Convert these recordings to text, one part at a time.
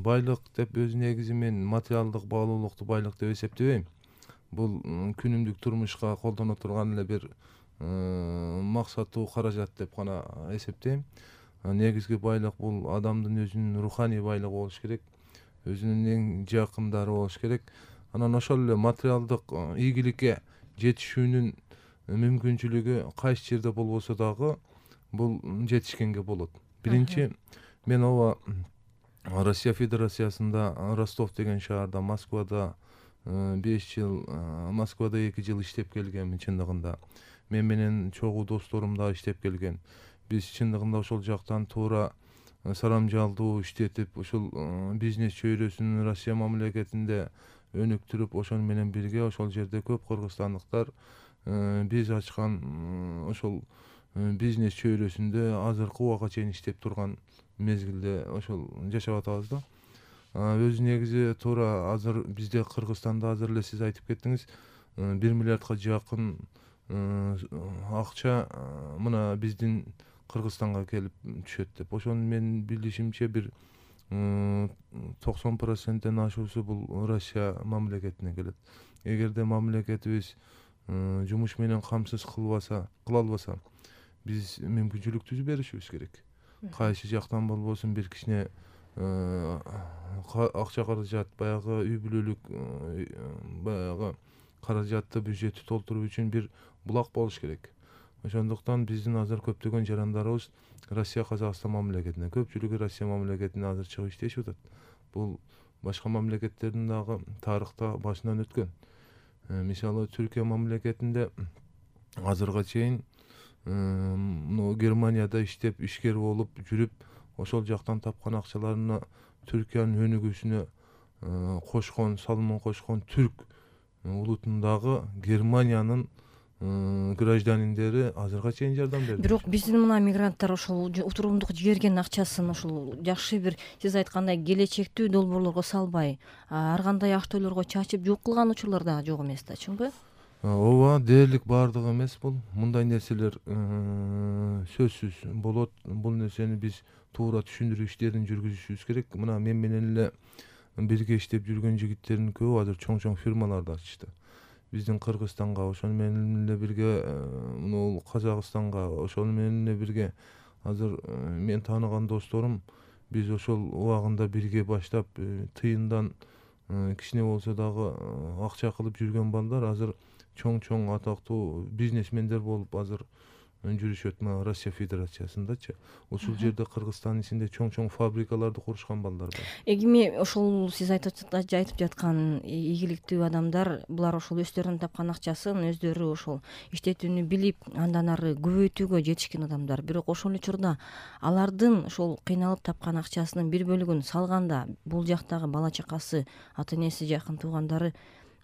байлык деп өз негизи мен материалдык баалуулукту байлык деп эсептебейм. Бул күнүмдүк турмушка колдоно турган эле бир максаттуу каражат деп гана эсептейм. Негизги байлык бул адамдын өзүнүн руханий байлыгы болуш керек, өзүнүн эң жакындары болуш керек. Анан ошол эле материалдык ийгиликке жетишүүнүн мүмкүнчүлүгү кайсы жерде болбосо дагы бул жетишкенге болот. Биринчи, мен ооба Россия Федерациясында Ростов деген шаарда, Москвада 5 жыл, Москвада 2 жыл иштеп келгем. Чындыгында мен менен чогуу досторум да иштеп келген. Биз чындыгында ошол жактан туура сарамжалдуу иштетип, ошол бизнес чөйрөсүн Россия мамлекетинде өнүктүрүп, ошол менен бирге ошол жерде көп кыргызстандыктар биз ачкан ошол бизнес чөйрөсүндө азыркы убакка чейин иштеп турган мезгилде ошол жашап атабыз да. Өзү негизи туура азыр бизде Кыргызстанда азыр эле сиз айтып кеттиңиз, 1 миллиардка жакын акча мына биздин Кыргызстанга келип түшөт деп. Ошону мен билишимче бир 90%-тен ашуусу бул Россия мамлекетинен келет. Эгерде мамлекетибиз жумуш менен камсыз кыла албаса, биз мүмкүнчүлүк түзүп беришибиз керек. Кайсы жактан болбосун бир кичине акча каражат, баягы үй бүлөлүк баягы каражатты бюджетти толтуруу үчүн бир булак болуш керек. Ошондуктан биздин азыр көптөгөн жарандарыбыз Россия Казакстан мамлекетине, көпчүлүгү Россия мамлекетине азыр чыгып иштешип атат. Бул башка мамлекеттердин дагы тарыхта башынан өткөн. Мисалы Түркия мамлекетинде азырга чейин Германияда иштеп, ишкер болуп жүрүп, ошол жактан тапкан акчаларына Түркиянын өнүгүүсүнө кошкон, салымын кошкон түрк улутундагы Германиянын гражданиндери азырга чейин жардам берди. Бирок биздин мына мигранттар ошол утурумдук жиберген акчасын ошол жакшы бир сиз айткандай келечектүү долбоорлорго салбай, ар кандай актөөлөргө чачып жок кылган учурлар дагы жок эмес да, чынбы? Ооба, дээрлик баардыгы эмес бул. Мындай нерселер сөзсүз болот. Бул нерсени биз туура түшүндүрүү иштерин жүргүзүшүбүз керек. Мына мен менен эле бирге иштеп жүргөн жигиттердин көбү азыр чоң фирмаларды ачышты. Биздин Кыргызстанга, ошону менен эле бирге Казакстанга, ошону менен эле бирге азыр мен тааныган досторум, биз ошол убагында бирге баштап тыйындан кичине болсо дагы акча кылып жүргөн балдар азыр чоң атактуу бизнесмендер болуп азыр жүрүшөт. Мына Россия Федерациясындачы. Ушул жерде Кыргызстандын ичинде чоң фабрикаларды курушкан балдар бар. Эми ошол сиз айтып жаткан ийгиликтүү адамдар, булар ошол өздөрүнүн тапкан акчасын өздөрү ошол иштетүүнү билип, андан ары көбөйтүүгө жетишкен адамдар. Бирок ошол учурда алардын ошол кыйналып тапкан акчасынын бир бөлүгүн салганда, бул жактагы бала чакасы, ата энеси, жакын туугандары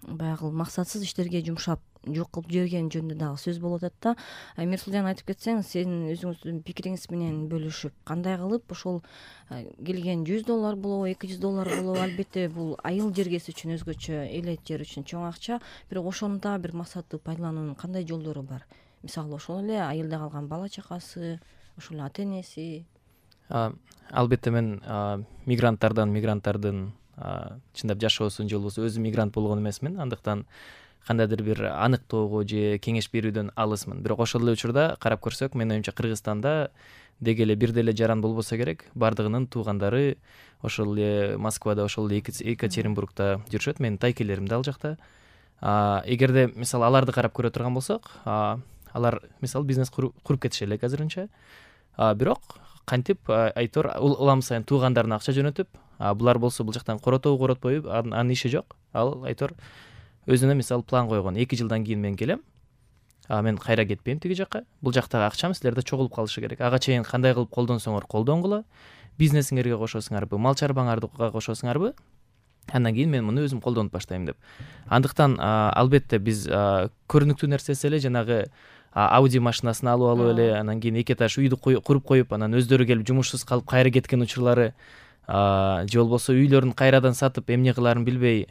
баягы максатсыз иштерге жумшап жок кылып жиберген жөнүндө дагы сөз болуп атат да. Мирсулжан, айтып кетсең, сенин өзүңүздүн пикириңиз менен бөлүшүп, кандай кылып ошол келген $100 болобу, $200 болобу, албетте бул айыл жергеси үчүн өзгөчө, элет жер үчүн чоң акча, бирок ошону да бир максаттуу пайдалануунун кандай жолдору бар? Мисалы ошол эле айылда калган бала чакасы, ошол эле ата энеси. Албетте мен мигранттардын чындап жашоосун же болбосо өзүм мигрант болгон эмесмин, андыктан кандайдыр бир аныктоого же кеңеш берүүдөн алысмын. Бирок ошол эле учурда карап көрсөк, менин оюмча Кыргызстанда деги эле бир деле жаран болбосо керек, бардыгынын туугандары ошол эле Москвада, ошол эле Екатеринбургда жүрүшөт. Менин тайкелерим да ал жакта. Эгерде мисалы аларды карап көрө турган болсок, алар мисалы бизнес куруп кетиши элек азырынча. Бирок кантип айтор улам сайын туугандарына акча жөнөтүп, булар болсо бул жактан коротобу коротпойбу, анын иши жок. Ал айтор өзүнө мисалы план койгон. 2 жылдан кийин мен келем. Мен кайра кетпейм тиги жакка. Бул жактагы акчам силерде чогулуп калышы керек. Ага чейин кандай кылып колдонсоңор колдонгула. Бизнесиңерге кошосуңарбы, мал чарбаңарга кошосуңарбы? Андан кийин мен муну өзүм колдонуп баштайм деп. Андыктан албетте биз көрүнүктүү нерсеси эле жанагы Audi машинасын алып эле, анан кийин 2 этаж үйдү куруп коюп, анан өздөрү келип жумушсуз калып кайра кеткен учурлары, же болбосо үйлөрүн кайрадан сатып эмне кыларын билбей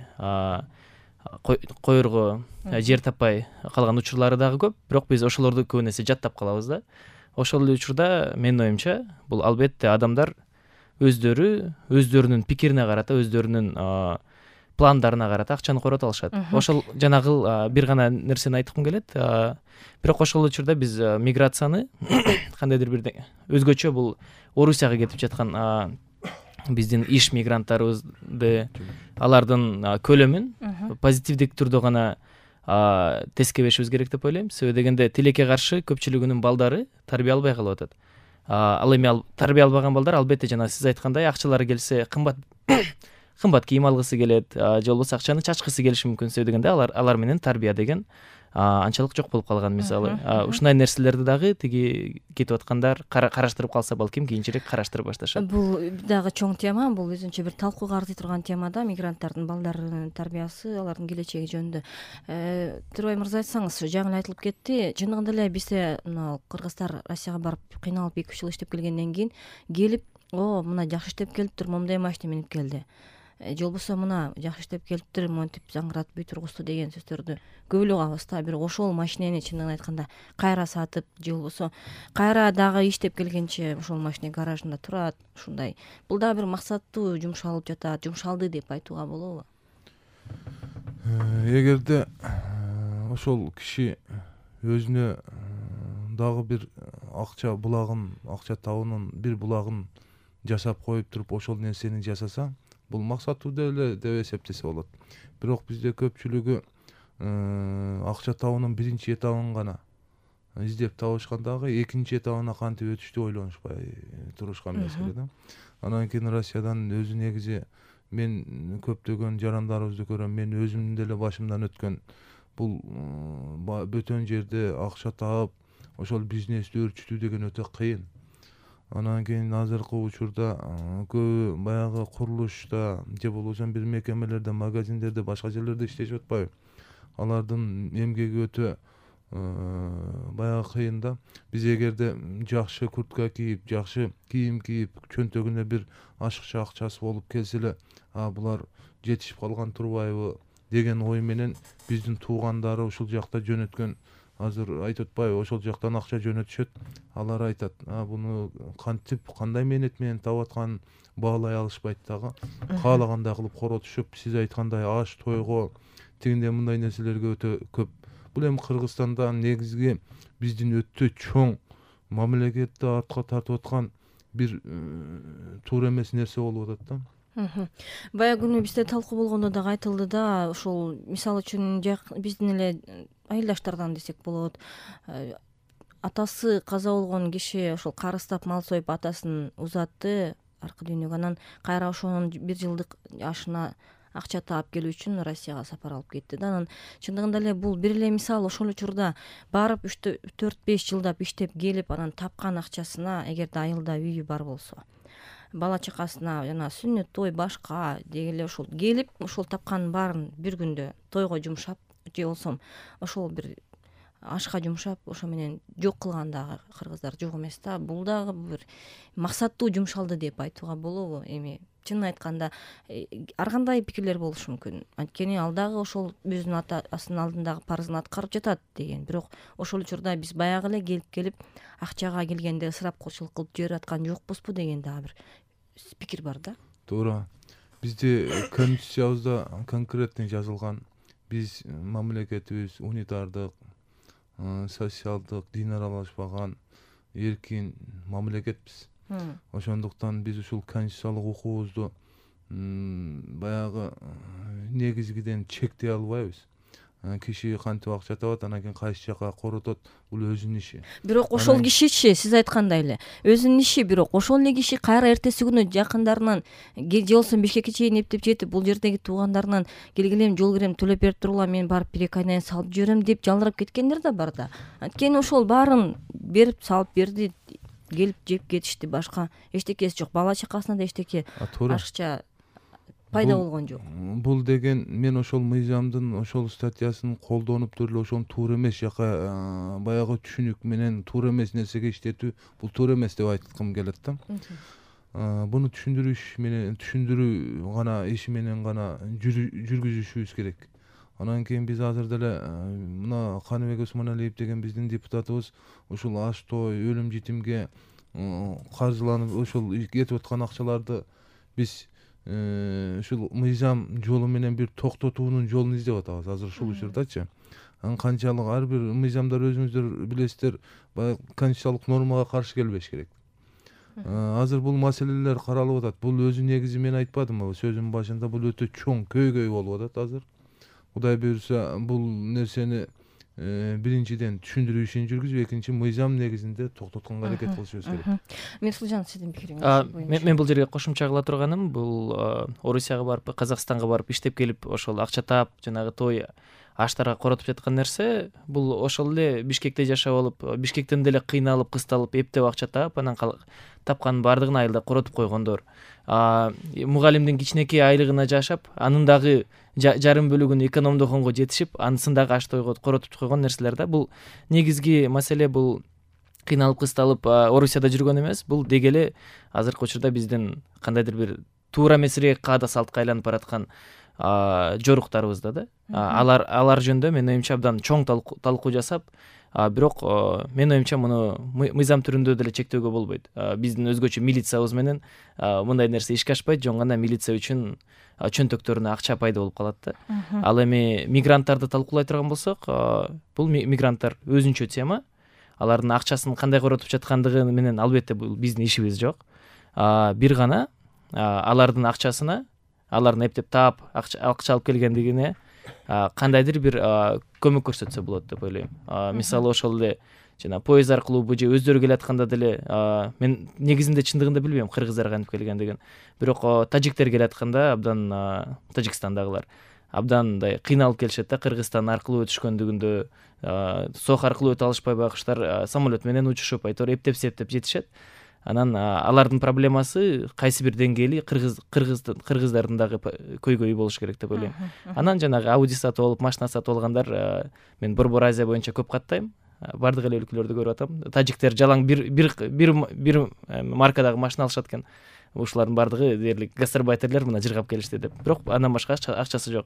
коерго жер таппай калган учурлары дагы көп. Бирок биз ошолорду көбүнесе жаттап калабыз да. Ошол эле учурда менин оюмча бул албетте адамдар өздөрүнүн пикирине карата, өздөрүнүн пландарына карата акчаны корото алышат. Ошол жанагы бир гана нерсени айткым келет. Бирок ошол учурда биз миграцияны кандайдыр бир өзгөчө бул Орусияга кетип жаткан биздин иш мигранттарыбызды алардын көлөмүн позитивдик түрдө гана тескебешибиз керек деп ойлойм. Себеби дегенде тилекке каршы көпчүлүгүнүн балдары тарбия албай калып атат. Ал эми тарбия албаган балдар албетте жана сиз айткандай акчалары келсе кымбат кийим алгысы келет, же болбосо акчаны чачкысы келиши мүмкүн. Себеби дегенде алар менен тарбия деген анчалык жок болуп калган. Мисалы ушундай нерселерди дагы тиги кетип аткандар караштырып калса балким кийинчерээк караштыра башташат. Бул дагы чоң тема, бул өзүнчө бир талкууга артый турган тема да, мигранттардын балдарынын тарбиясы, алардын келечеги жөнүндө. Турбай мырза, айтсаңыз, жаңы эле айтылып кетти, чындыгында эле бизде мына кыргыздар Россияга барып кыйналып 2-3 жыл иштеп келгенден кийин келип, мына жакшы иштеп келиптир, момундай машина минип келди, же болбосо мына жакшы иштеп келиптир, монтип заңгыратып үй тургузду деген сөздөрдү көп эле угабыз да. Бирок ошол машинени чындыгын айтканда кайра сатып, же болбосо кайра дагы иштеп келгенче ошол машина гаражында турат, ушундай. Бул дагы бир максаттуу жумшалып жатат, жумшалды деп айтууга болобу? Эгерде ошол киши өзүнө дагы бир акча булагын, акча табуунун бир булагын жасап коюп туруп ошол нерсени жасаса, бул максаттуу деп эсептесе болот. Бирок бизде көпчүлүгү акча табуунун биринчи этабын гана издеп табышкан, дагы экинчи этабына кантип өтүштү ойлонушпай турушкан мезгили да. Анан кийин Россиядан өзү негизи мен көптөгөн жарандарыбызды көрөм, мен өзүмдүн деле башымдан өткөн бул бөтөн жерде акча таап ошол бизнести өөрчүтүү деген өтө кыйын. Анан кийин азыркы учурда көбү баягы курулушта же болбосо бир мекемелерде, магазиндерде, башка жерлерде иштешип атпайбы? Алардын эмгеги өтө баягы кыйын да. Биз эгерде жакшы куртка кийип, жакшы кийим кийип, чөнтөгүнө бир ашыкча акчасы болуп келсе эле, булар жетишип калган турбайбы деген ой менен биздин туугандары ушул жакта жөнөткөн, азыр айтып атпайбы, ошол жактан акча жөнөтүшөт. Алар айтат, буну кантип, кандай мээнет менен таап атканын баалай алышпайт дагы. Каалагандай кылып коротушуп, сиз айткандай аш тойго, тигиндей мындай нерселерге өтө көп. Бул эми Кыргызстанда негизги биздин өтө чоң мамлекетти артка тартып аткан бир туура эмес нерсе болуп атат да. Баягы күнү бизде талкуу болгондо дагы айтылды да, ошол мисалы үчүн биздин эле айылдаштардан десек болот, атасы каза болгон киши ошол карыстап мал союп атасын узатты аркы дүйнөгө, анан кайра ошонун 1 жылдык ашына акча таап келүү үчүн Россияга сапар алып кетти да. Анан чындыгында эле бул бир эле мисал. Ошол учурда барып 4-5 жылдап иштеп келип, анан тапкан акчасына, эгерде айылда үйү бар болсо, бала чакасына жана сүннөт, той, башка деги эле ошол келип, ошол тапканын баарын бир күндө тойго жумшап, же болсо ошол бир ашка жумшап, ошо менен жок кылган дагы кыргыздар жок эмес да. Бул дагы бир максаттуу жумшалды деп айтууга болобу? Эми чынын айтканда ар кандай пикирлер болушу мүмкүн. Анткени ал дагы ошол өзүнүн атасынын алдындагы парызын аткарып жатат деген. Бирок ошол учурда биз баягы эле келип акчага келгенде ысырапчылык кылып жиберип аткан жокпузбу деген дагы бир пикир бар да. Туура. Бизде конституциябызда конкретный жазылган, биз мамлекетибиз унитардык, социалдык, дин аралашпаган, эркин мамлекетпиз. Ошондуктан биз ушул конституциялык укугубузду баягы негизгиден чектей албайбыз. Киши кантип акча табат, анан кийин кайсы жака коротот, бул өзүнүн иши. Бирок ошол кишичи, сиз айткандай эле өзүнүн иши, бирок ошол эле киши кайра эртеси күнү жакындарынан же болсо Бишкекке чейин эптеп жетип, бул жердеги туугандарынан келгилем, жол кирем төлөп берип турула, мен барып 1-2 айдан салып жиберем деп жалдырап кеткендер да бар да. Анткени ошол баарын берип салып берди, келип жеп кетишти, башка эчтекеси жок. Бала чакасына да эчтеке ашыкча пайда болгон жок. Бул деген мен ошол мыйзамдын ошол статьясын колдонуп туруп эле ошону туура эмес жака баягы түшүнүк менен туура эмес нерсеге иштетүү, бул туура эмес деп айткым келет да. Буну түшүндүрүү гана иши менен гана жүргүзүшүбүз керек. Анан кийин биз азыр деле мына Каныбек Усманалиев деген биздин депутатыбыз ушул аш той, өлүм житимге каржыланып ошол кетип аткан акчаларды биз ушул мыйзам жолу менен бир токтотуунун жолун издеп атабыз азыр ушул учурдачы. Канчалык ар бир мыйзамдар өзүңүздөр билесиздер, баягы конституциялык нормага каршы келбеш керек. Азыр бул маселелер каралып атат. Бул өзү негизи мен айтпадымбы сөзүмдүн башында, бул өтө чоң көйгөй болуп атат азыр. Кудай буюрса бул нерсени биринчиден түшүндүрүү ишин жүргүзүп, экинчи мыйзам негизинде токтотконго аракет кылышыбыз керек. Мирсулжан, сиздин пикириңиз? Мен бул жерге кошумча кыла турганым, бул Орусияга барып, Казакстанга барып иштеп келип, ошол акча таап, жанагы той аштарга коротуп жаткан нерсе, бул ошол эле Бишкекте жашап алып, Бишкектен деле кыйналып, кысталып, эптеп акча таап, анан тапканын баардыгын айылда коротуп койгондор. Мугалимдин кичинекей айлыгына жашап, анын дагы жарым бөлүгүн экономдогонго жетишип, анысын дагы аш тойго коротуп койгон нерселер да. Бул негизги маселе, бул кыйналып кысталып Орусияда жүргөн эмес, бул деги эле азыркы учурда биздин кандайдыр бир туура эмесирээк каада салтка айланып бараткан жоруктарыбызда да. Алар жөнүндө менин оюмча абдан чоң талкуу жасап, бирок менин оюмча муну мыйзам түрүндө деле чектөөгө болбойт. Биздин өзгөчө милициябыз менен мындай нерсе ишке ашпайт, жөн гана милиция үчүн чөнтөктөрүнө акча пайда болуп калат да. Ал эми мигранттарды талкуулай турган болсок, бул мигранттар өзүнчө тема. Алардын акчасын кандай коротуп жаткандыгы менен албетте бул биздин ишибиз жок. Бир гана алардын акчасына, алардын эптеп таап акча алып келгендигине кандайдыр бир көмөк көрсөтсө болот деп ойлойм. Мисалы ошол эле жана поезд аркылуу же өздөрү келатканда деле, мен негизинде чындыгында билбейм кыргыздар кантип келгендигин. Бирок тажиктер келатканда абдан, Тажикстандагылар абдан мындай кыйналып келишет да, Кыргызстан аркылуу өтүшкөндүгүндө, Сох аркылуу өтө алышпай байкуштар самолет менен учушуп, айтор эптеп жетишет. Анан алардын проблемасы кайсы бир деңгээли кыргыздардын дагы көйгөйү болуш керек деп ойлойм. Анан жанагы Audi сатып алып, машина сатып алгандар, мен Борбор Азия боюнча көп каттайм. Бардык эле өлкөлөрдү көрүп атам. Тажиктер жалаң бир маркадагы машина алышат экен. Ушулардын бардыгы дээрлик гастарбайтерлер мына жыргап келишти деп. Бирок андан башка акчасы жок.